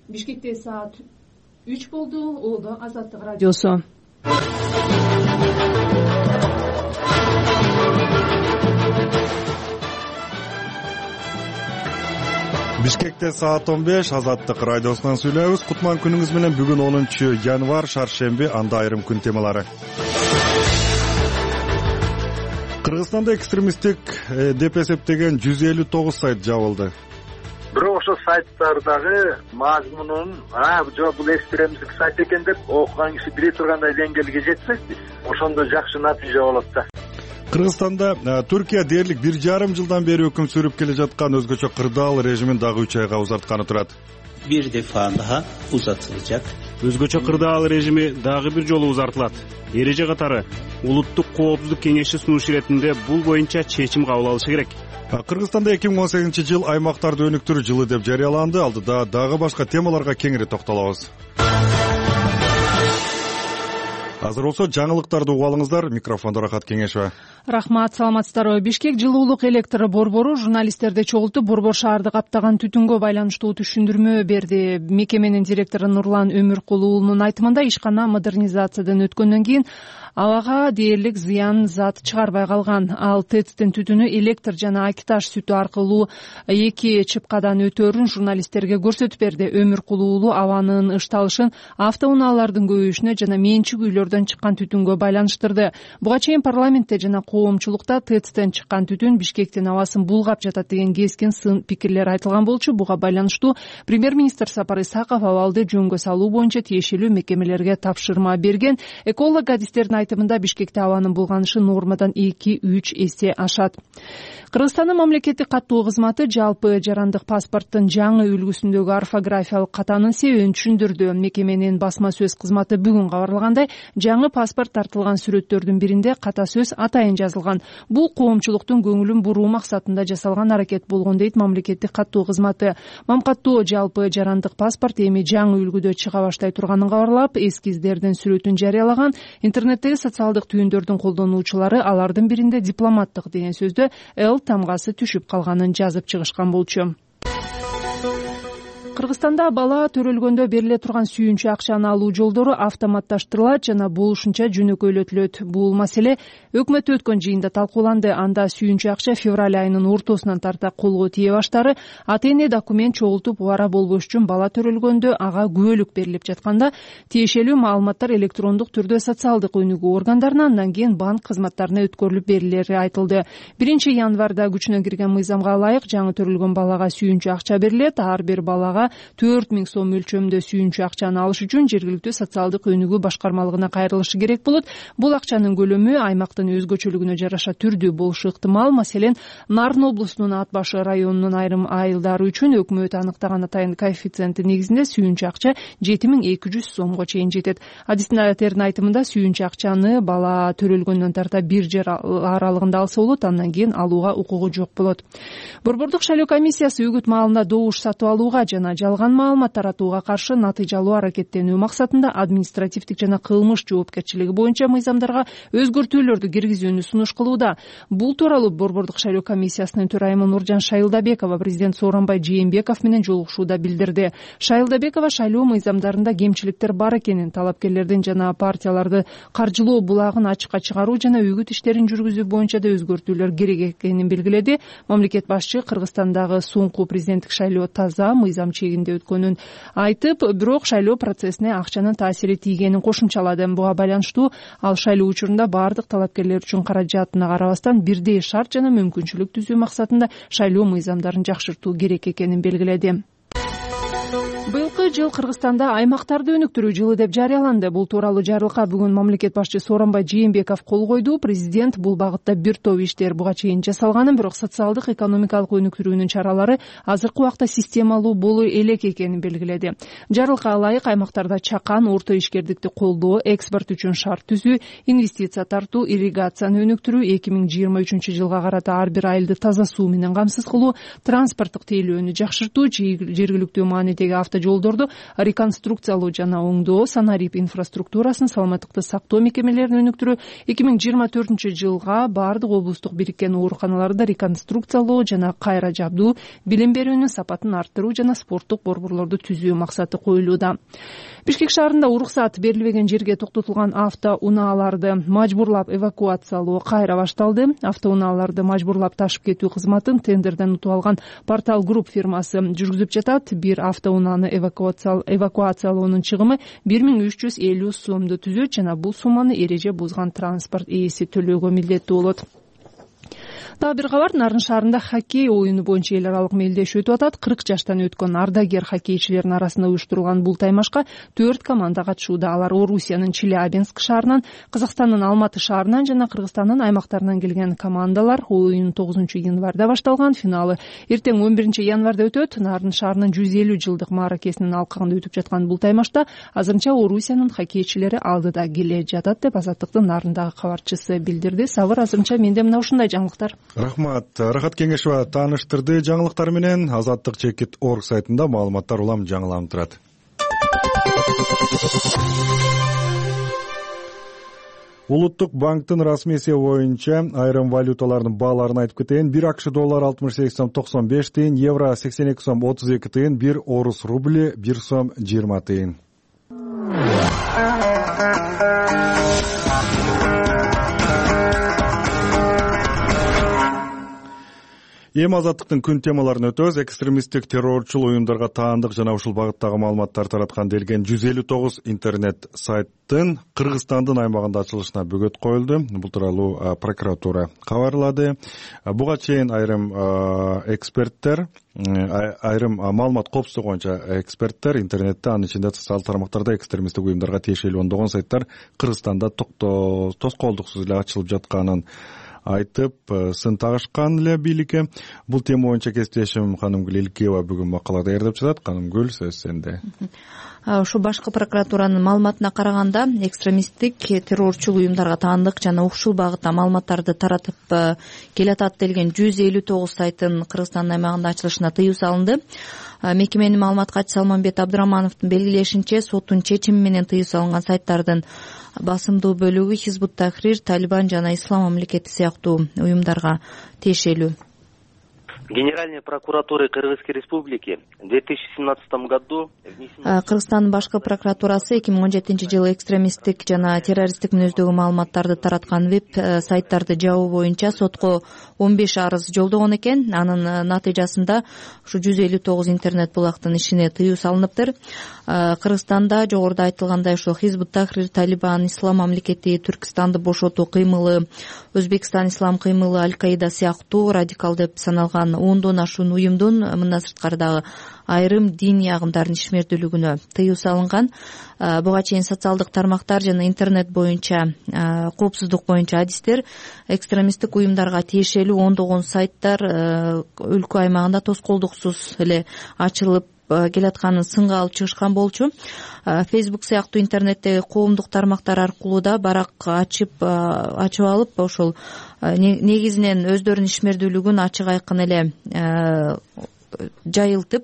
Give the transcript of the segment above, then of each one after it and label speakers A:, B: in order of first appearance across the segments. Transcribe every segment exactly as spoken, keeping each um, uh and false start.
A: Бишкекте саат үч болду. Оолдо Азаттык радиосу.
B: Бишкекте саат он беш. Азаттык радиосунан сүйлөйбүз. Кутман күнүңүз менен. Бүгүн онунчу январь, шаршемби, анда айрым күн темалары. Кыргызстанда экстремисттик деп эсептеген жүз элүү тогуз сайт жабылды.
C: Бирок ошо сайттардагы мазмунун а жок бул экстремисттик сайт экен деп окуган киши биле тургандай деңгээлге жетсек, ошондо жакшы натыйжа болот да.
B: Кыргызстанда Түркия дээрлик бир жарым жылдан бери өкүм сүрүп келе жаткан өзгөчө кырдаал режимин дагы үч айга узартканы турат.
D: Bir defa daha uzatılacak.
E: Өзгөчө кырдаал режими дагы бир жолу узартылат. Эреже катары улуттук коопсуздук кеңеши сунуш иретинде бул боюнча чечим кабыл алышы керек.
B: Кыргызстанда эки миң он сегизинчи жыл аймактарды өнүктүрүү жылы деп жарыяланды. Алдыда дагы башка темаларга кеңири токтолобуз. Азыр болсо жаңылыктарды угуп алыңыздар. Микрофондо Рахат Кеңешова.
A: Рахмат, саламатсыздарбы. Бишкек жылуулук электр борбору журналисттерди чогултуп, борбор шаарды каптаган түтүнгө байланыштуу түшүндүрмө берди. Мекеменин директору Нурлан Өмүркул уулунун айтымында ишкана модернизациядан өткөндөн кийин абага дээрлик зыян зат чыгарбай калган. Ал ТЭЦтин түтүнү электр жана акиташ сүтү аркылуу эки чыпкадан өтөөрүн журналисттерге көрсөтүп берди. Өмүркул уулу абанын ышталышын автоунаалардын көбөйүшүнө жана менчик үйлөрдөн чыккан түтүнгө байланыштырды. Буга чейин парламентте жана коомчулукта ТЭЦтен чыккан түтүн Бишкектин абасын булгап жатат деген кескин сын пикирлер айтылган болчу. Буга байланыштуу премьер-министр Сапар Исаков абалды жөнгө салуу боюнча тиешелүү мекемелерге тапшырма берген. Эколог-адистердин айтымында Бишкекте абанын булганышы нормадан эки үч эсе ашат. Кыргызстандын мамлекеттик каттоо кызматы жалпы жарандык паспорттун жаңы үлгүсүндөгү орфографиялык катанын себебин түшүндүрдү. Мекеменин басма сөз кызматы бүгүн кабарлагандай, жаңы паспорт тартылган сүрөттөрдүн биринде ката сөз атайын жазылган. Бул коомчулуктун көңүлүн буруу максатында жасалган аракет болгон дейт мамлекеттик каттоо кызматы. Мамкаттоо жалпы жарандык паспорт эми жаңы үлгүдө чыга баштай турганын кабарлап, эскиздердин сүрөтүн жарыялаган. Интернеттеги социалдык түйүндөрдүн колдонуучулары алардын биринде дипломаттык деген сөздө Л тамгасы түшүп калганын жазып чыгышкан болчу. Кыргызстанда бала төрөлгөндө бериле турган сүйүнчү акчаны алуу жолдору автоматташтырылат жана болушунча жөнөкөйлөтүлөт. Бул маселе өкмөттө өткөн жыйында талкууланды. Анда сүйүнчү акча февраль айынын ортосунан тарта колго тие баштары ата-эне документ чогултуп убара болбош үчүн бала төрөлгөндө ага күбөлүк берилип жатканда тиешелүү маалыматтар электрондук түрдө социалдык өнүгүү органдарына, андан кийин банк кызматтарына өткөрүлүп берилери айтылды. биринчи январда күчүнө кирген мыйзамга ылайык жаңы төрөлгөн балага сүйүнчү акча берилет. Ар бир балага төрт миң сом мөлчөмдө сүйүнчү акчаны алыш үчүн жергиликтүү социалдык өнүгүү башкармалыгына кайрылышы керек болот. Бул акчанын көлөмү аймактын өзгөчөлүгүнө жараша түрдүү болушу ыктымал. Маселен, Нарын облусунун Ат башы районунун айрым айылдары үчүн өкмөт аныктаган атайын коэффициенти негизинде сүйүнчү акча жети миң эки жүз сомго чейин жетет. Адистердин айтымында сүйүнчү акчаны бала төрөлгөндөн тарта бир жыл аралыгында алса болот, андан кийин алууга укугу жок болот. Борбордук шайлоо комиссиясы үгүт маалында добуш сатып алууга жана жалган маалымат таратууга каршы натыйжалуу аракеттенүү максатында административдик жана кылмыш жоопкерчилиги боюнча мыйзамдарга өзгөртүүлөрдү киргизүүнү сунуш кылууда. Бул тууралуу Борбордук шайлоо комиссиясынын төрайымы Нуржан Шайылдабекова президент Сооронбай Жээнбеков менен жолугушууда билдирди. Шайылдабекова шайлоо мыйзамдарында кемчиликтер бар экенин, талапкерлердин жана партияларды каржылоо булагын ачыкка чыгаруу жана үгүт иштерин жүргүзүү боюнча да өзгөртүүлөр керек экенин белгиледи. Мамлекет башчы Кыргызстандагы соңку президенттик шайлоо таза, мыйзам чегинде өткөнүн айтып, бирок шайлоо процессине акчанын таасири тийгенин кошумчалады. Буга байланыштуу ал шайлоо учурунда бардык талапкерлер үчүн каражатына карабастан бирдей шарт жана мүмкүнчүлүк түзүү максатында шайлоо мыйзамдарын жакшыртуу керек экенин белгиледи. Быйылкы жыл Кыргызстанда аймактарды өнүктүрүү жылы деп жарыяланды. Бул тууралуу жарлыкка бүгүн мамлекет башчы Сооронбай Жээнбеков кол койду. Президент бул багытта бир топ иштер буга чейин жасалганын, бирок социалдык экономикалык өнүктүрүүнүн чаралары азыркы убакта системалуу болуу элек экенин белгиледи. Жарлыкка ылайык аймактарда чакан, орто ишкердикти колдоо, экспорт үчүн шарт түзүү, инвестиция тартуу, ирригацияны өнүктүрүү, эки миң жыйырма үчүнчү жылга карата ар бир айылды таза суу менен камсыз кылуу, транспорттук тейлөөнү жакшыртуу, жергиликтүү маанидеги автожол жолдорду реконструкциялоо жана оңдоо, санарип инфраструктурасын, саламаттыкты сактоо мекемелерин өнүктүрүү, эки миң жыйырма төртүнчү жылга баардык облустук бириккен ооруканаларды реконструкциялоо жана кайра жабдуу, билим берүүнүн сапатын арттыруу жана спорттук борборлорду түзүү максаты коюлууда. Бишкек шаарында уруксат берилбеген жерге токтотулган автоунааларды мажбурлап эвакуациялоо кайра башталды. Автоунааларды мажбурлап ташып кетүү кызматын тендерден утуп алган Портал Групп фирмасы жүргүзүп жатат. Бир автоунааны эвакуациялоонун чыгымы бир миң үч жүз элүү сомду түзөт жана бул сумманы эреже бузган транспорт ээси төлөөгө милдеттүү болот. Дагы бир кабар, Нарын шаарында хоккей оюну боюнча эл аралык мелдешүү өтүп атат. кырк жаштан өткөн ардагер хоккейчилердин арасында уюштурулган бул таймашка төрт команда катышууда. Алар Орусиянын Челябинск шаарынан, Казакстандын Алматы шаарынан жана Кыргызстандын аймактарынан келген командалар. Оюн тогузунчу январда башталган, финалы эртең он биринчи январда өтөт. Нарын шаарынын жүз элүү жылдык мааракесинин алкагында өтүп жаткан бул таймашта азырынча Орусиянын хоккейчилери алдыда келе жатат деп Азаттыктын Нарындагы кабарчысы билдирди. Сабыр, азырынча менде мына ушундай жаңылыктар.
B: Рахмат. Рахат Кеңешова тааныштырды жаңылыктар менен. Азаттык чекит орг сайтында маалыматтар улам жаңыланып турат. Улуттук банктын расмий эсеби боюнча айрым валюталардын бааларын айтып кетейин. бир акш доллар алтымыш сегиз сом токсон беш тыйын, евро сексен эки сом отуз эки тыйын, бир орус рубли бир сом жыйырма тыйын. Эми Азаттыктын күн темаларын өтөбүз. Экстремисттик террорчул уюмдарга таандык жана ушул багыттагы маалыматтар тараткан делген жүз элүү тогуз интернет сайттын Кыргызстандын аймагында ачылышына бөгөт коюлду. Бул тууралуу прокуратура кабарлады. Буга чейин айрым эксперттер, айрым маалымат коопсуздугу боюнча эксперттер интернетте, анын ичинде социалдык тармактарда экстремисттик уюмдарга тиешелүү ондогон сайттар Кыргызстанда тоскоолдуксуз эле ачылып жатканын айтып, сын тагышкан эле бийликке. Бул тема боюнча кесиптешим Канымгүл Илкиева бүгүн макала даярдап жатат. Канымгүл, сөз сенде.
F: Ушу башкы прокуратуранын маалыматына караганда, экстремисттик террорчул уюмдарга таандык жана ушул багытта маалыматтарды таратып келатат делген жүз элүү тогуз сайттын Кыргызстандын аймагында ачылышына тыюу салынды. Мекеменин маалымат катчысы Салманбет Абдырамановдун белгилешинче, соттун чечими менен тыюу салынган сайттардын басымдуу бөлүгү Хизбут Тахрир, Талибан жана Ислам мамлекети сыяктуу уюмдарга тиешелүү.
G: Генеральной прокуратуры Кыргызской Республики в две тысячи семнадцатом году
F: Кыргызстандын башкы прокуратурасы эки миң он жетинчи жылы экстремисттик жана террористтик мүнөздөгү маалыматтарды тараткан веб сайттарды жабуу боюнча сотко он беш арыз жолдогон экен. Анын натыйжасында ушу жүз элүү тогуз интернет булактын ишине тыюу салыныптыр. Кыргызстанда жогоруда айтылгандай ошо Хизбут Тахрир, Талибан, Ислам мамлекети, Түркистанды бошотуу кыймылы, Өзбекстан ислам кыймылы, Аль-Каида сыяктуу радикал деп саналган ондон ашуун уюмдун мындан сырткары дагы айрым диний агымдардын ишмердүүлүгүнө тыюу салынган. Буга чейин социалдык тармактар жана интернет боюнча коопсуздук боюнча адистер экстремисттик уюмдарга тиешелүү ондогон сайттар өлкө аймагында тоскоолдуксуз эле ачылып келатканын сынга алып чыгышкан болчу. Facebook сыяктуу интернеттеги коомдук тармактар аркылуу да барак ачып ачып алып, ошол негизинен өздөрүнүн ишмердүүлүгүн ачык айкын эле жайылтып,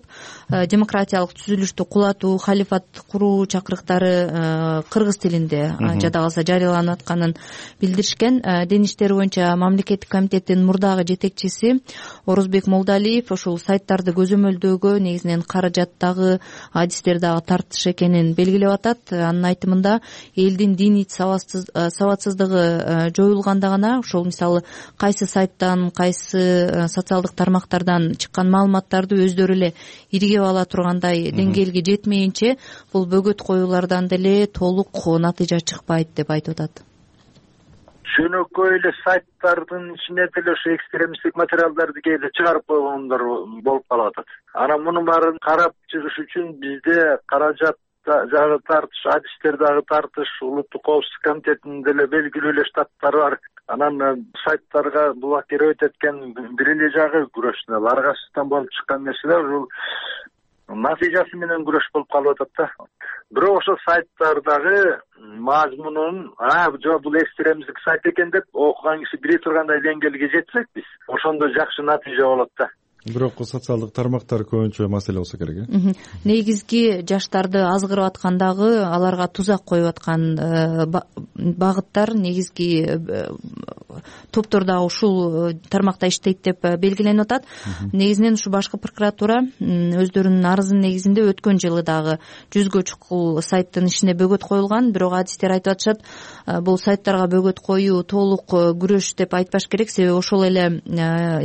F: демократиялык түзүлүштү кулатуу, халифат куруу чакырыктары кыргыз тилинде жада калса жарыяланып атканын билдиришкен. Дин иштери боюнча мамлекеттик комитеттин мурдагы жетекчиси Орозбек Молдалиев ошол сайттарды көзөмөлдөөгө негизинен каражаттагы адистер дагы тартыш экенин белгилеп атат. Анын айтымында элдин диний сабатсыздыгы жоюлганда гана ошол мисалы кайсы сайттан, кайсы социалдык тармактардан чыккан маалыматтар өздөрү эле иргеп ала тургандай деңгээлге жетмейинче бул бөгөт коюулардан деле толук натыйжа чыкпайт деп айтып атат.
C: Жөнөкөй эле сайттардын ичине деле ошо экстремисттик материалдарды кээде чыгарып койгондор болуп калып атат. Анан мунун баарын карап чыгыш үчүн бизде каражат дагы тартыш, адистер дагы тартыш, улуттук коопсуздук комитетинин деле белгилүү эле штаттары бар. Анан сайттарга блокировать эткен бир эле жагы күрөштү. Ар кайсысынан болуп чыккан нерселер ушул натыйжасы менен күрөш болуп калып атат да. Бирок ошо сайттардагы мазмунун, а жок бул экстремисттик сайт экен деп окуган киши биле тургандай деңгээлге жетсек биз, ошондо жакшы натыйжа болот да.
B: бирок социалдык тармактар көбүнчө маселе болсо керек э
F: негизги жаштарды азгырып аткан дагы аларга тузак коюп аткан багыттар негизги топтор дагы ушул тармакта иштейт деп белгиленип атат. Негизинен ушу башкы прокуратура өздөрүнүн арызынын негизинде өткөн жылы дагы жүзгө чукул сайттын ишине бөгөт коюлган, бирок адистер айтып атышат бул сайттарга бөгөт коюу толук күрөш деп айтпаш керек, себеби ошол эле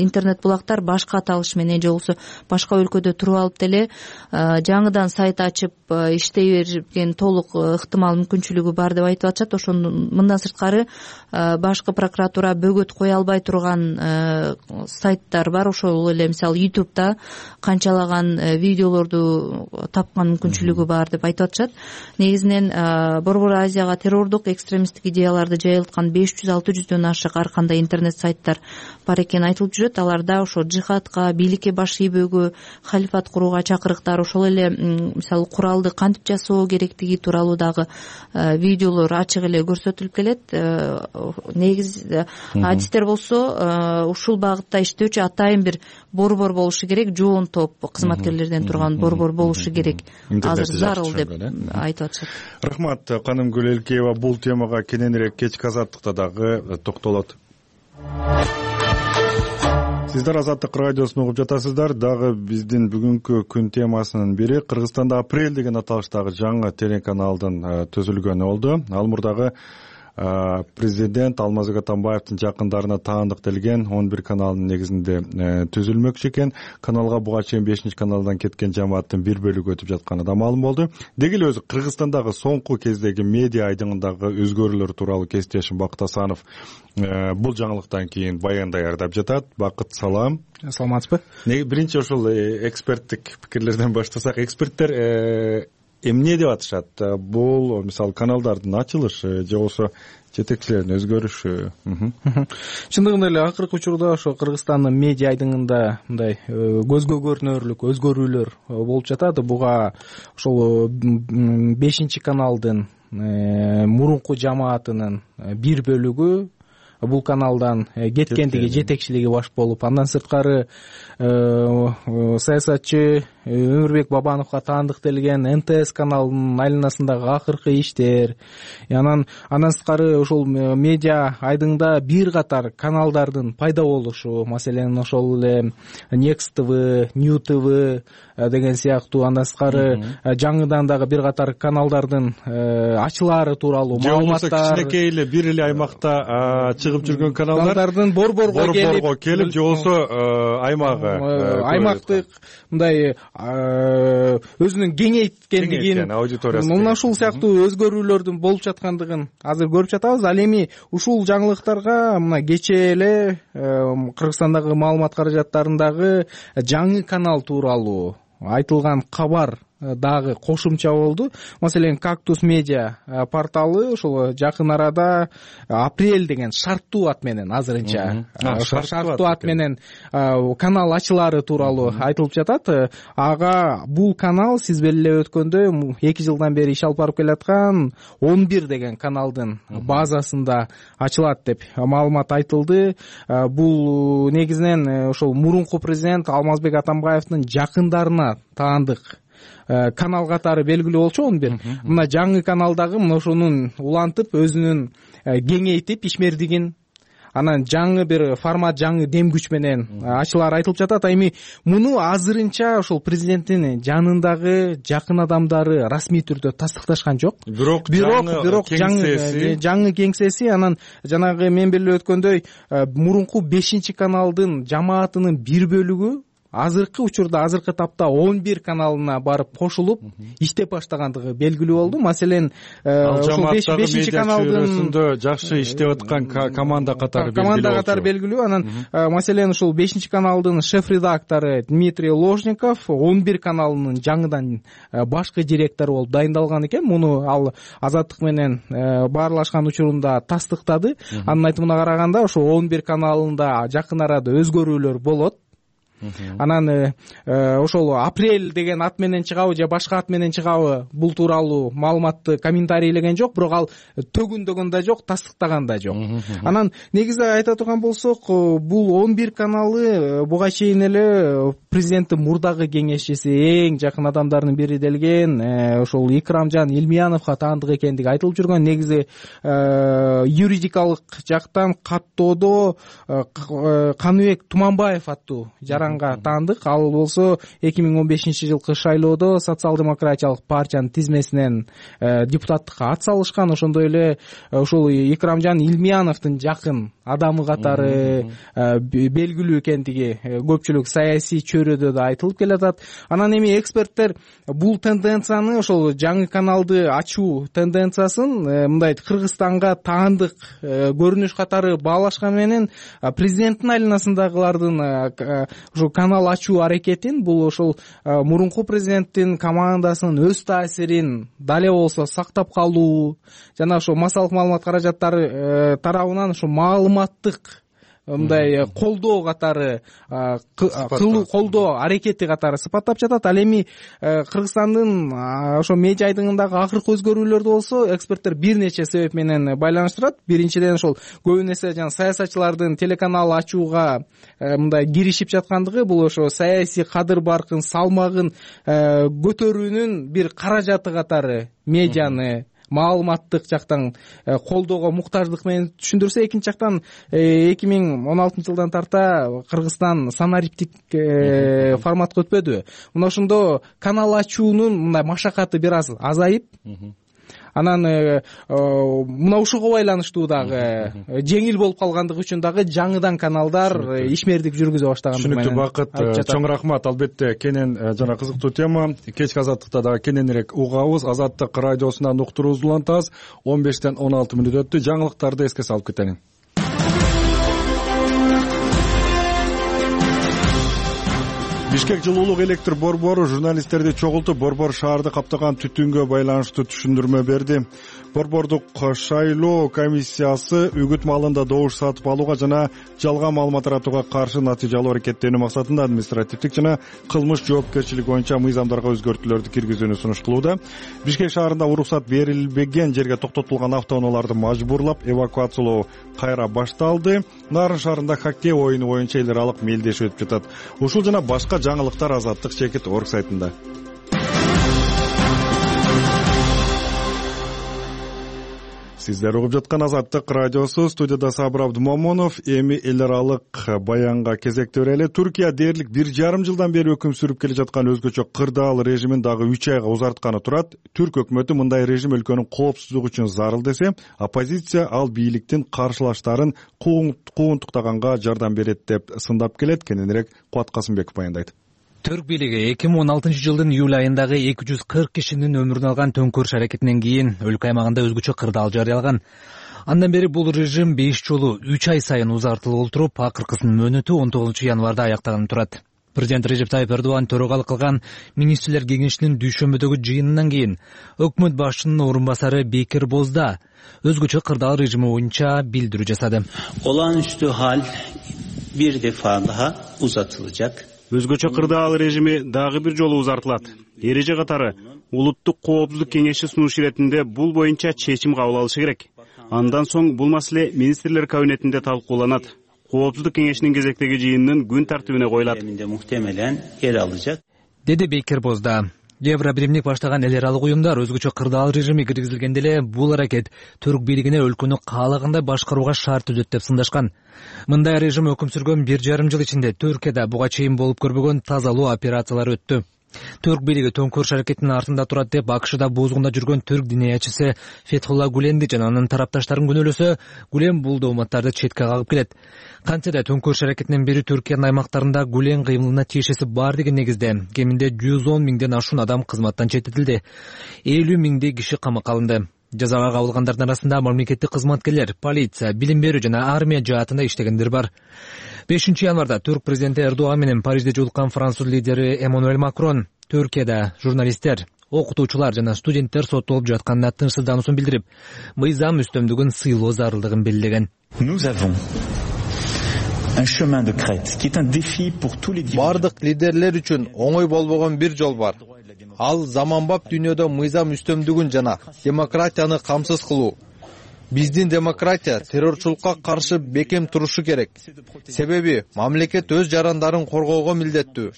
F: интернет булактар башка аталыш менен же болбосо башка өлкөдө туруп алып деле жаңыдан сайт ачып иштей берген толук ыктымал мүмкүнчүлүгү бар деп айтып атышат. Ошондон мындан сырткары башкы прокуратура бөгөт кое албай турган сайттар бар. Ошол эле мисалы ютубта канчалаган видеолорду тапкан мүмкүнчүлүгү бар деп айтып атышат. Негизинен Борбор Азияга террордук экстремисттик идеяларды жайылткан беш жүз алты жүздөн ашык ар кандай интернет сайттар бар экени айтылып жүрөт. Аларда ошо жихадка, бийликке баш ийбөөгө, халифат курууга чакырыктар, ошол эле мисалы куралды кантип жасоо керектиги тууралуу дагы видеолор ачык эле көрсөтүлүп келет. Негиз адистер болсо ушул багытта иштөөчү атайын бир борбор болушу керек, жоон топ кызматкерлерден турган борбор болушу керек, азыр зарыл деп айтып атышат.
B: Рахмат, Канымгүл Элкеева бул темага кененирээк кечки азаттыкта дагы токтолот. Сиздер Азаттык радиосун угуп жатасыздар. Дагы биздин бүгүнкү күн темасынын бири Кыргызстанда Апрель деген аталыштагы жаңы телеканалдын түзүлгөнү болду. Ал мурдагы президент Алмазбек Атамбаевдин жакындарына таандык делген он бир каналдын негизинде түзүлмөкчү экен. Каналга буга чейин бешинчи каналдан кеткен жамааттын бир бөлүгү өтүп жатканы да маалым болду. Деги эле өзү Кыргызстандагы соңку кездеги медиа айдыңындагы өзгөрүүлөр тууралуу кесиптешим Бакыт Асанов бул жаңылыктан кийин баян даярдап жатат. Бакыт, салам.
H: Саламатсызбы?
B: Биринчи ошол эксперттик пикирлерден баштасак, эксперттер эмне деп атышат? Бул мисалы каналдардын ачылышы же болбосо жетекчилердин өзгөрүшү?
H: Чындыгында эле акыркы учурда ошо Кыргызстандын медиа айдыңында мындай көзгө көрүнөрлүк өзгөрүүлөр болуп жатат. Буга ошол бешинчи каналдын мурунку жамаатынын бир бөлүгү бул каналдан кеткендиги, жетекчилиги баш болуп, андан сырткары саясатчы Өмүрбек Бабановго таандык делген эн тэ эс каналынын айланасындагы акыркы иштер, анан андан сырткары ошол медиа айдыңда бир катар каналдардын пайда болушу, маселен ошол эле Next тэ вэ, New тэ вэ деген сыяктуу, андан сырткары жаңыдан дагы бир катар каналдардын ачылаары тууралуу маалыматтар,
B: кичинекей эле бир эле аймакта чыгып жүргөн
H: каналдардын борборго
B: келип же болбосо аймагы
H: аймактык мындай өзүнүн кеңейткендигин,
B: аудиториясы
H: мына ушул сыяктуу өзгөрүүлөрдүн болуп жаткандыгын азыр көрүп жатабыз. Ал эми ушул жаңылыктарга мына кечээ эле Кыргызстандагы маалымат каражаттарындагы жаңы канал тууралуу айтылган кабар дагы кошумча болду. Маселен, Кактус медиа порталы ошол жакын арада Апрель деген шарттуу ат менен азырынча шарттуу ат менен канал ачылаары тууралуу айтылып жатат. Ага бул канал сиз белгилеп өткөндөй эки жылдан бери иш алып барып келаткан он бир деген каналдын базасында ачылат деп маалымат айтылды. Бул негизинен ошол мурунку президент Алмазбек Атамбаевдин жакындарына таандык канал катары белгилүү болчу он бир. Мына жаңы каналдагы мына ошонун улантып өзүнүн кеңейтип ишмердигин, анан жаңы бир формат, жаңы дем күч менен ачылаары айтылып жатат. Эми муну азырынча ошол президенттин жанындагы жакын адамдары расмий түрдө тастыкташкан жок.
B: Бирок
H: бирок жаңы жаңы кеңсеси, анан жанагы мен белгилеп өткөндөй мурунку бешинчи каналдын жамаатынын бир бөлүгү азыркы учурда, азыркы тапта он бир каналына барып кошулуп иштеп баштагандыгы белгилүү болду. Маселен,
B: ошол бешинчи каналдын жакшы иштеп аткан команда катары белгилүү.
H: Команда катары белгилүү. Анан маселен ошол бешинчи каналдын шеф-редактору Дмитрий Ложников он бир каналынын жаңыдан башкы директору болуп дайындалган экен. Муну ал Азаттык менен баарлашкан учурунда тастыктады. Анын айтымына караганда ошол он бир каналында жакын арада өзгөрүүлөр болот. анан ошол апрель деген ат менен чыгабы же башка ат менен чыгабы бул тууралуу маалыматты комментарийлеген жок, бирок ал төгүндөгөн да жок, тастыктаган да жок. Анан негизи айта турган болсок, бул он бир каналы буга чейин эле президенттин мурдагы кеңешчиси, эң жакын адамдарынын бири делген ошол Икрамжан Илмияновго таандык экендиги айтылып жүргөн. Негизи юридикалык жактан каттоодо Каныбек Туманбаев аттуу жаранга таандык. Ал болсо эки миң он бешинчи жылкы шайлоодо социал-демократиялык партиянын тизмесинен депутаттыкка ат салышкан. Ошондой эле ошол Икрамжан Илмияновдун жакын адамы катары белгилүү экендиги көпчүлүк саясий чөйрөдө да айтылып келатат. Анан эми эксперттер бул тенденцияны, ошол жаңы каналды ачуу тенденциясын мындай Кыргызстанга таандык көрүнүш катары баалашкан менен президенттин айланасындагылардын ошол канал ачуу аракетин, бул ошол мурунку президенттин командасынын өз таасирин дале болсо сактап калуу жана ошо массалык маалымат каражаттары тарабынан ошо маалыматтык мындай колдоо катары колдоо аракети катары сыпаттап жатат. Ал эми Кыргызстандын ошо медиа айдыңындагы акыркы өзгөрүүлөрдү болсо эксперттер бир нече себеп менен байланыштырат. Биринчиден ошол көбүн эсе жана саясатчылардын телеканал ачууга мындай киришип жаткандыгы, бул ошо саясий кадыр баркын, салмагын көтөрүүнүн бир каражаты катары медианы маалыматтык жактан колдоого муктаждык менен түшүндүрсө, экинчи жактан эки миң он алтынчы жылдан тарта Кыргызстан санариптик форматка өтпөдүбү. Мына ошондо канал ачуунун мындай машакаты бир аз азайып, анан мына ушуга байланыштуу дагы жеңил болуп калгандыгы үчүн дагы жаңыдан каналдар ишмердик жүргүзө баштагандыгы менен.
B: Түшүнүктүү, Бакыт. Чоң рахмат. Албетте кенен жана кызыктуу тема. Кечки Азаттыкта дагы кененирээк угабыз. Азаттык радиосунан уктуруубузду улантабыз. он бештен он алты мүнөт өттү. Жаңылыктарды эске салып кетели. Бишкек жылуулук электр борбору журналисттерди чогултуп, борбор шаарды каптаган түтүнгө байланыштуу түшүндүрмө берди. Борбордук шайлоо комиссиясы үгүт маалында добуш сатып алууга жана жалган маалымат таратууга каршы натыйжалуу аракеттенүү максатында административдик жана кылмыш жоопкерчилиги боюнча мыйзамдарга өзгөртүүлөрдү киргизүүнү сунуш кылууда. Бишкек шаарында уруксат берилбеген жерге токтотулган автоунааларды мажбурлап эвакуациялоо кайра башталды. Нарын шаарында хоккей оюну боюнча эл аралык мелдешүү өтүп жатат. Ушул жана башка жаңылыктар Азаттык чекит орг сайтында. Сиздер угуп жаткан Азаттык радиосу, студияда Сабыр Абдумомунов. Эми эл аралык баянга кезекте берели. Түркия дээрлик бир жарым жылдан бери өкүм сүрүп келе жаткан өзгөчө кырдаал режимин дагы үч айга узартканы турат. Түрк өкмөтү мындай режим өлкөнүн коопсуздугу үчүн зарыл десе, оппозиция ал бийликтин каршылаштарын куугунтуктаганга жардам берет деп сындап келет. Кененирээк Кубат Касымбеков баяндайт.
I: Түрк бийлиги эки миң он алтынчы жылдын июль айындагы эки жүз кырк кишинин өмүрүн алган төңкөрүш аракетинен кийин өлкө аймагында өзгөчө кырдаал жарыялаган. Андан бери бул режим беш жолу үч ай сайын узартылып отуруп, акыркысынын мөөнөтү он тогузунчу январда аяктаганы турат. Президент Режеп Тайып Эрдоган төрагалык кылган министрлер кеңешинин дүйшөмбөдөгү жыйынынан кийин өкмөт башчынын орун басары Бекир Бозда өзгөчө кырдаал режими боюнча билдирүү жасады.
D: Olağanüstü hal bir defa daha uzatılacak.
E: Өзгөчө кырдаал режими дагы бир жолу узартылат. Эреже катары улуттук коопсуздук кеңеши сунуш иретинде бул боюнча чечим кабыл алышы керек. Андан соң бул маселе министрлер кабинетинде талкууланат. Коопсуздук кеңешинин кезектеги жыйынынын күн тартибине коюлат.
D: Muhtemelen yer alacak.
I: Деди Бекир Бозда. Евро биримдик баштаган эл аралык уюмдар өзгөчө кырдаал режими киргизилгенде эле бул аракет түрк бийлигине өлкөнү каалагандай башкарууга шарт түзөт деп сындашкан. Мындай режим өкүм сүргөн бир жарым жыл ичинде Түркияда буга чейин болуп көрбөгөн тазалоо операциялары өттү. Түрк бийлиги төңкөрүш аракетинин артында турат деп АКШда бузгунда жүргөн түрк диниячысы Фетхулла Гуленди жана анын тарапташтарын күнөөлөсө, Гулен бул дооматтарды четке кагып келет. Кантсе да төңкөрүш аракетинен бери Түркиянын аймактарында Гулен кыймылына тиешеси бар деген негизде кеминде жүз он миңден ашуун адам кызматтан четтетилди. элүү миңдей киши камакка алынды. Жазага кабылгандардын арасында мамлекеттик кызматкерлер, полиция, билим берүү жана армия жаатында иштегендер бар. бешинчи январда түрк президенти Эрдоган менен Парижде жолуккан француз лидери Эммануэль Макрон Түркияда журналисттер, окутуучулар жана студенттер соттолуп жатканына тынчсыздануусун билдирип, мыйзам үстөмдүгүн сыйлоо зарылдыгын белгилеген.
J: Nous avons бардык лидерлер үчүн оңой болбогон бир жол бар. Ал заманбап дүйнөдө мыйзам үстөмдүгүн жана демократияны камсыз кылуу. Биздин демократия террорчулукка каршы бекем турушу керек. Себеби мамлекет өз жарандарын коргоого милдеттүү.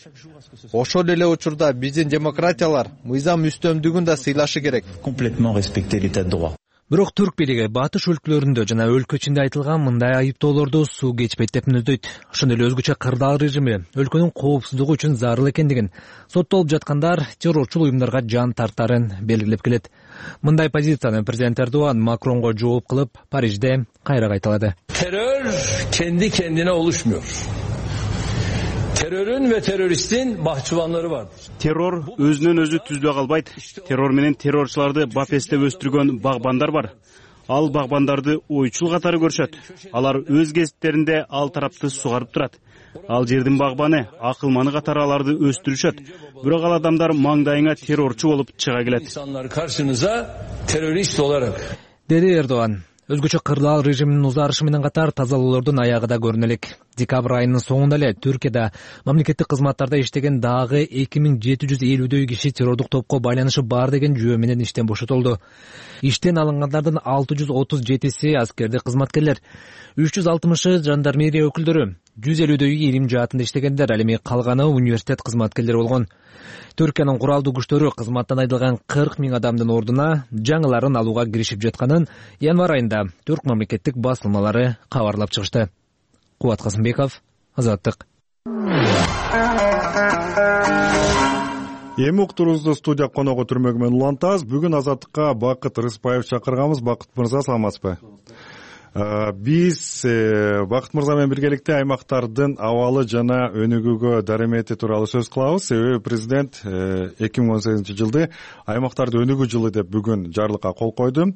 J: Ошол эле учурда биздин демократиялар мыйзам үстөмдүгүн да сыйлашы керек.
I: Бирок түрк бийлиги батыш өлкөлөрүндө жана өлкө ичинде айтылган мындай айыптоолорду суу кечпейт деп мүнөздөйт. Ошондой эле өзгөчө кырдаал режими өлкөнүн коопсуздугу үчүн зарыл экендигин, соттолуп жаткандар террорчул уюмдарга жан тартарын белгилеп келет. Мындай позицияны президент Эрдоган Макронго жооп кылып, Парижде кайра кайталады.
K: Terör kendi kendine oluşmuyor. Terörün ve teröristin bahçıvanları vardır.
E: Terror өзүнөн өзү түзбөй калбайт. Террор менен террорчуларды бапестеп өстүргөн багбандар бар. Ал багбандарды ойчул катары көрүшөт. Алар өз кесиптеринде ал тарапты сугарып турат. Ал жердин багбаны, акылманы катары аларды өстүрүшөт. Бирок ал адамдар маңдайыңа террорчу болуп чыга келет.
K: İnsanlar karşınıza terörist olarak.
I: Деди Эрдоган. Өзгөчө кырдаал режиминин узарышы менен катар тазалоолордун аягы да көрүнө элек. Декабрь айынын соңунда эле Түркияда мамлекеттик кызматтарда иштеген дагы эки миң жети жүз элүүдөй киши террордук топко байланышы бар деген жүйө менен иштен бошотулду. Иштен алынгандардын алты жүз отуз жетиси аскердик кызматкерлер, үч жүз алтымышы жандармерия өкүлдөрү, жүз элүүдөйү илим жаатында иштегендер, ал эми калганы университет кызматкерлери болгон. Түркиянын куралдуу күчтөрү кызматтан айдалган кырк миң адамдын ордуна жаңыларын алууга киришип жатканын январь айында түрк мамлекеттик басылмалары кабарлап чыгышты. Кубат Касымбеков, Азаттык.
B: Эми уктуруубузду студия коногу түрмөгү менен улантабыз. Бүгүн Азаттыкка Бакыт Рыспаев чакырганбыз. Бакыт мырза, саламатсызбы? Биз Бакыт мырза менен биргеликте аймактардын абалы жана өнүгүүгө даремети тууралуу сөз кылабыз. Себеби президент эки миң он сегизинчи жылды аймактарды өнүгүү жылы деп бүгүн жарлыкка кол койду.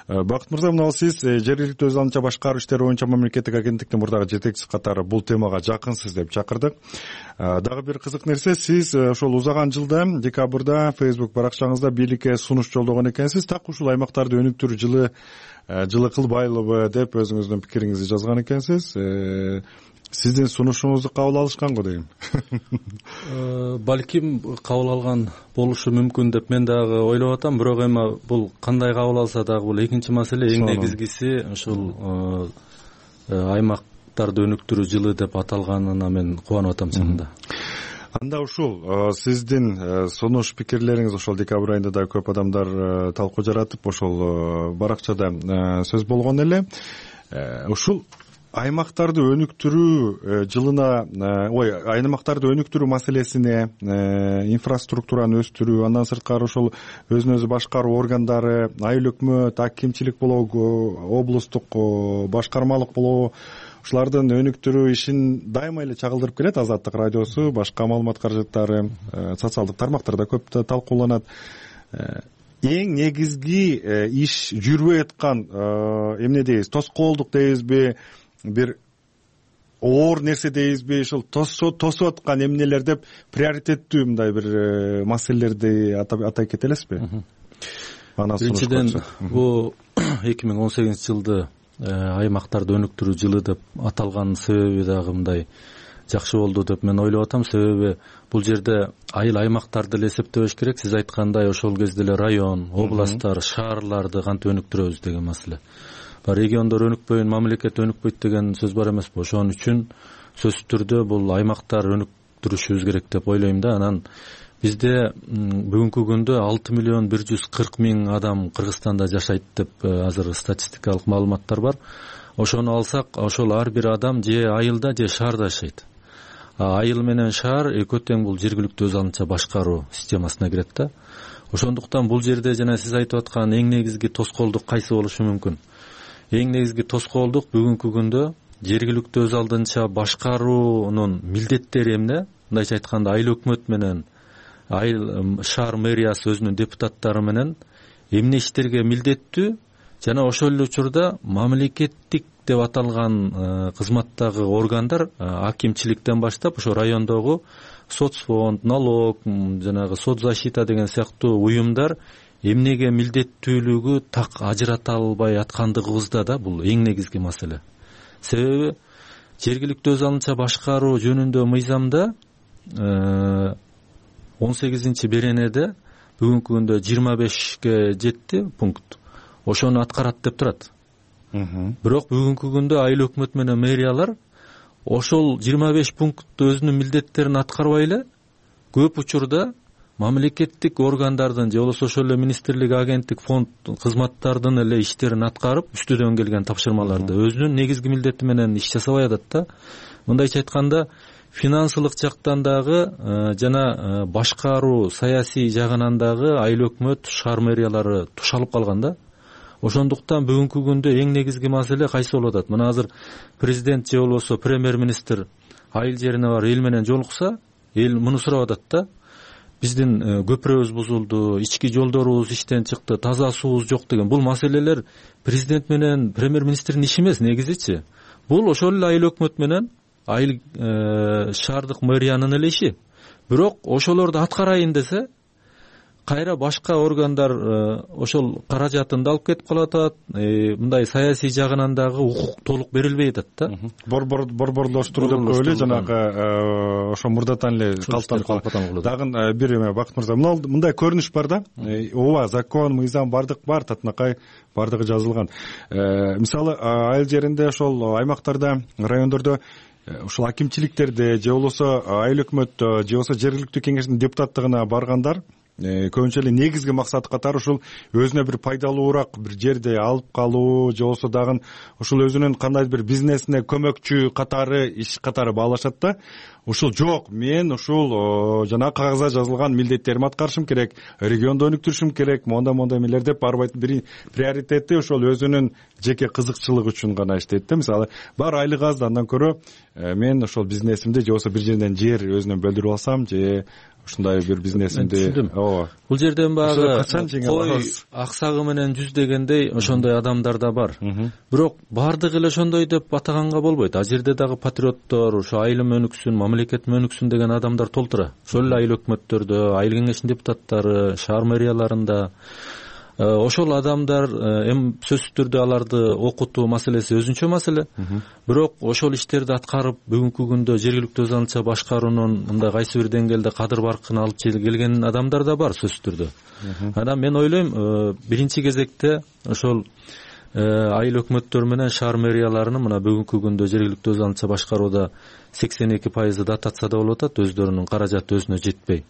B: Бакыт мырза, мына сиз жергиликтүү өз алдынча башкаруу иштери боюнча мамлекеттик агенттиктин мурдагы жетекчиси катары бул темага жакынсыз деп чакырдык. Дагы бир кызык нерсе, сиз ошол узаган жылда декабрда Facebook баракчаңызда бийликке сунуш жолдогон экенсиз. Так ушул аймактарды өнүктүрүү жылы жылы кылбайлыбы деп өзүңүздүн пикириңизди жазган экенсиз. Сиздин сунушуңузду кабыл алышкан го дейм.
L: Балким кабыл алган болушу мүмкүн деп мен дагы ойлоп атам, бирок эми бул кандай кабыл алса дагы бул экинчи маселе. Эң негизгиси ушул аймактарды өнүктүрүү жылы деп аталганына мен кубанып атам чынында.
B: Анда ушул сиздин сунуш пикирлериңиз ошол декабрь айында да көп адамдар талкуу жаратып, ошол баракчада сөз болгон эле. Ушул аймактарды өнүктүрүү жылына, ой, аймактарды өнүктүрүү маселесине, инфраструктураны өстүрүү, андан сырткары ошол өзүн өзү башкаруу органдары, айыл өкмөт, акимчилик болобу, облустук башкармалык болобу, ушулардын өнүктүрүү ишин дайыма эле чагылдырып келет Азаттык радиосу, башка маалымат каражаттары, социалдык тармактарда көп талкууланат. Эң негизги иш жүрбөй аткан эмне дейбиз, тоскоолдук дейбизби, бир оор нерсе дейбизби, ушул тосуп аткан эмнелер деп приоритеттүү мындай бир маселелерди атай кете элесизби?
L: Биринчиден, бул эки миң он сегизинчи жылды аймактарды өнүктүрүү жылы деп аталганын себеби дагы мындай жакшы болду деп мен ойлоп атам. Себеби бул жерде айыл аймактарды эле эсептебеш керек. Сиз айткандай ошол кезде эле район, областтар, шаарларды кантип өнүктүрөбүз деген маселе. Региондор өнүкпөйүн, мамлекет өнүкпөйт деген сөз бар эмеспи? Ошон үчүн сөзсүз түрдө бул аймактар өнүктүрүшүбүз керек деп ойлойм да. Анан бизде бүгүнкү күндө алты миллион бир жүз кырк миң адам Кыргызстанда жашайт деп азыр статистикалык маалыматтар бар. Ошону алсак, ошол ар бир адам же айылда, же шаарда жашайт. Айыл менен шаар экөө тең бул жергиликтүү өз алдынча башкаруу системасына кирет да. Ошондуктан бул жерде жана сиз айтып аткан эң негизги тоскоолдук кайсы болушу мүмкүн? Эң негизги тоскоолдук бүгүнкү күндө жергиликтүү өз алдынча башкаруунун милдеттери эмне? Мындайча айтканда, айыл өкмөт менен айыл шаар мэриясы өзүнүн депутаттары менен эмне иштерге милдеттүү жана ошол эле учурда мамлекеттик деп аталган кызматтагы органдар акимчиликтен баштап ошо райондогу соцфонд, налог, жанагы соцзащита деген сыяктуу уюмдар эмнеге милдеттүүлүгү так ажырата албай аткандыгыбызда да бул эң негизги маселе. Себеби жергиликтүү өз алынча башкаруу жөнүндө мыйзамда он сегизинчи беренеде бүгүнкү күндө жыйырма бешке жетти пункт ошону аткарат деп турат. Бирок бүгүнкү күндө айыл өкмөт менен мэриялар ошол жыйырма беш пунктту өзүнүн милдеттерин аткарбай эле көп учурда мамлекеттик органдардын же болбосо ошол эле министрлик, агенттик, фонд кызматтардын эле иштерин аткарып үстүдөн келген тапшырмаларды өзүнүн негизги милдети менен иш жасабай атат да. Мындайча айтканда финансылык жактан дагы жана башкаруу саясий жагынан дагы айыл өкмөт, шаар мэриялары тушалып калган да. Ошондуктан бүгүнкү күндө эң негизги маселе кайсы болуп атат? Мына азыр президент же болбосо премьер-министр айыл жерине барып эл менен жолукса, эл муну сурап атат да. Биздин көпүрөбүз бузулду, ички жолдорубуз иштен чыкты, таза суубуз жок деген бул маселелер президент менен премьер-министрдин иши эмес негизичи. Бул ошол эле айыл өкмөт менен айыл шаардык мэриянын эле иши. Бирок ошолорду аткарайын десе кайра башка органдар ошол каражатынды алып кетип калып атат. Мындай саясий жагынан дагы укук толук берилбей атат да.
B: Борборлоштуруу деп коелу, жанагы ошо мурдатан эле калыптанып калат. Дагы бир эме Бакыт мырза, мындай көрүнүш бар да. Ооба, закон, мыйзам бардык бар, татынакай бардыгы жазылган. Мисалы айыл жеринде ошол аймактарда, райондордо ушул акимчиликтерде же болбосо айыл өкмөт же болбосо жергиликтүү кеңештин депутаттыгына баргандар көбүнчө эле негизги максаты катары ушул өзүнө бир пайдалуураак бир жерди алып калуу же болбосо дагы ушул өзүнүн кандайдыр бир бизнесине көмөкчү катары иш катары баалашат да. Ушул жок, мен ушул жана кагазда жазылган милдеттеримди аткарышым керек, регионду өнүктүрүшүм керек, мондай мондай эмелер деп барбайт. Бир приоритети ошол өзүнүн жеке кызыкчылыгы үчүн гана иштейт да. Мисалы бар айлык аз да, андан көрө мен ошол бизнесимди же болбосо бир жерден жер өзүнөн бөлдүрүп алсам же ушундай бир бизнесимди. Ооба.
L: Бул жерден багы кой аксагы менен жүз дегендей ошондой адамдар да бар. Бирок бардыгы эле ошондой деп атаганга болбойт. А жерде дагы патриоттор, ошо айылым өнүксүн, мамлекетим өнүксүн деген адамдар толтура. Ошол эле айыл өкмөттөрдө, айыл кеңешинин депутаттары, шаар мэрияларында ошол адамдар эми сөзсүз түрдө аларды окутуу маселеси өзүнчө маселе. Бирок ошол иштерди аткарып бүгүнкү күндө жергиликтүү өз алынча башкаруунун мындай кайсы бир деңгээлде кадыр баркын алып келген адамдар да бар сөзсүз түрдө. Анан мен ойлойм, биринчи кезекте ошол айыл өкмөттөр менен шаар мэрияларынын мына бүгүнкү күндө жергиликтүү өз алынча башкарууда сексен эки пайызы дотацияда болуп атат, өздөрүнүн каражаты өзүнө жетпей.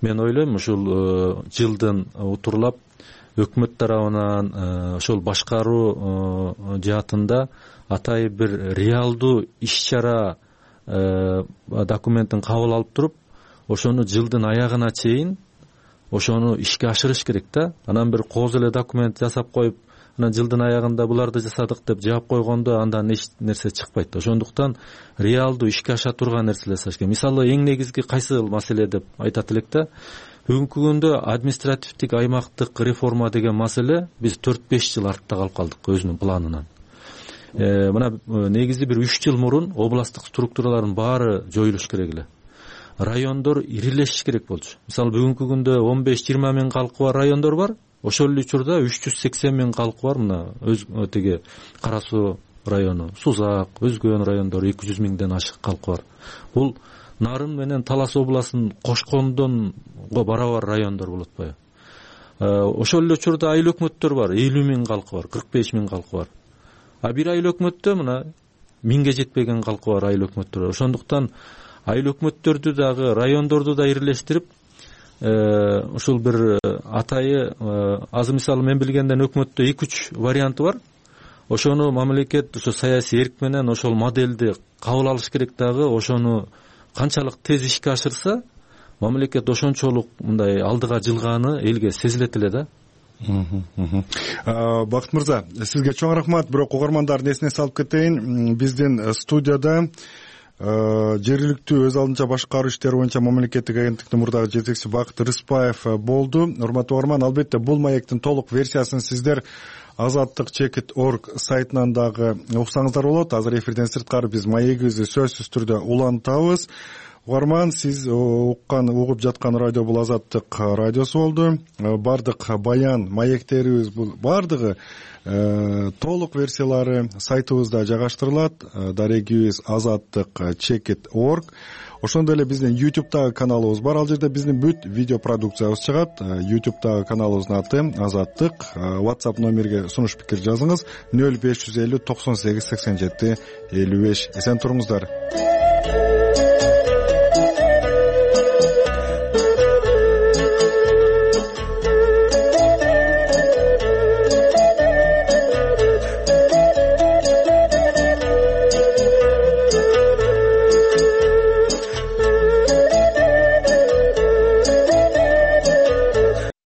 L: Мен ойлойм, ушул жылдын утурлап өкмөт тарабынан ошол башкаруу жаатында атайын бир реалдуу иш-чара документин кабыл алып туруп, ошону жылдын аягына чейин ошону ишке ашырыш керек да. Анан бир кооз эле документ жасап коюп, анан жылдын аягында буларды жасадык деп жаап койгондо андан эч нерсе чыкпайт. Ошондуктан реалдуу ишке аша турган нерселер жасаш керек. Мисалы эң негизги кайсы маселе деп айтат элек да. Бүгүнкү күндө административдик аймактык реформа деген маселе биз төрт беш жыл артта калып калдык өзүнүн планынан. Мына негизи бир үч жыл мурун областтык структуралардын баары жоюлуш керек эле. Райондор ирилешиш керек болчу. Мисалы бүгүнкү күндө он беш жыйырма миң калкы бар райондор бар. Ошол эле учурда үч жүз сексен миң калкы бар. Мына өз тиги Кара Суу району, Сузак, өзгөн райондор эки жүз миңден ашык калкы бар. Бул Нарын менен Талас областын кошкондонго барабар райондор болот атпайбы? Ошол эле учурда айыл өкмөттөр бар, элүү миң калкы бар, кырк беш миң калкы бар. А бир айыл өкмөттө мына миңге жетпеген калкы бар айыл өкмөттөр. Ошондуктан айыл өкмөттөрдү дагы, райондорду да ирилештирип, ушул бир атайы азыр мисалы мен билгенден өкмөттө эки үч варианты бар. Ошону мамлекет ошо саясий эрк менен ошол моделди кабыл алыш керек дагы, ошону канчалык тез ишке ашырса, мамлекет ошончолук мындай алдыга жылганы элге сезилет эле да.
B: Бакыт мырза, сизге чоң рахмат. Бирок угармандардын эсине салып кетейин, биздин студияда жергиликтүү өз алынча башкаруу иштери боюнча мамлекеттик агенттиктин мурдагы жетекчиси Бакыт Рыспаев болду. Урматтуу угарман, албетте бул маектин толук версиясын сиздер азаттык чекит точка орг сайтынан дагы уксаңыздар болот. Азыр эфирден сырткары биз маегибизди сөзсүз түрдө улантабыз. угарман, сиз уккан угуп жаткан радио бул Азаттык радиосу болду. Бардык баян маектерибиз бул бардыгы толук версиялары сайтыбызда жайгаштырылат. Дарегибиз азаттык чекит точка орг. Ошондой эле биздин ютубтагы каналыбыз бар. Ал жерде биздин бүт видео продукциябыз чыгат. ютубтагы каналыбыздын аты Азаттык. WhatsApp номерге сунуш пикир жазыңыз. нөл беш жүз элүү токсон сегиз сексен жети элүү беш. Эсен туруңуздар.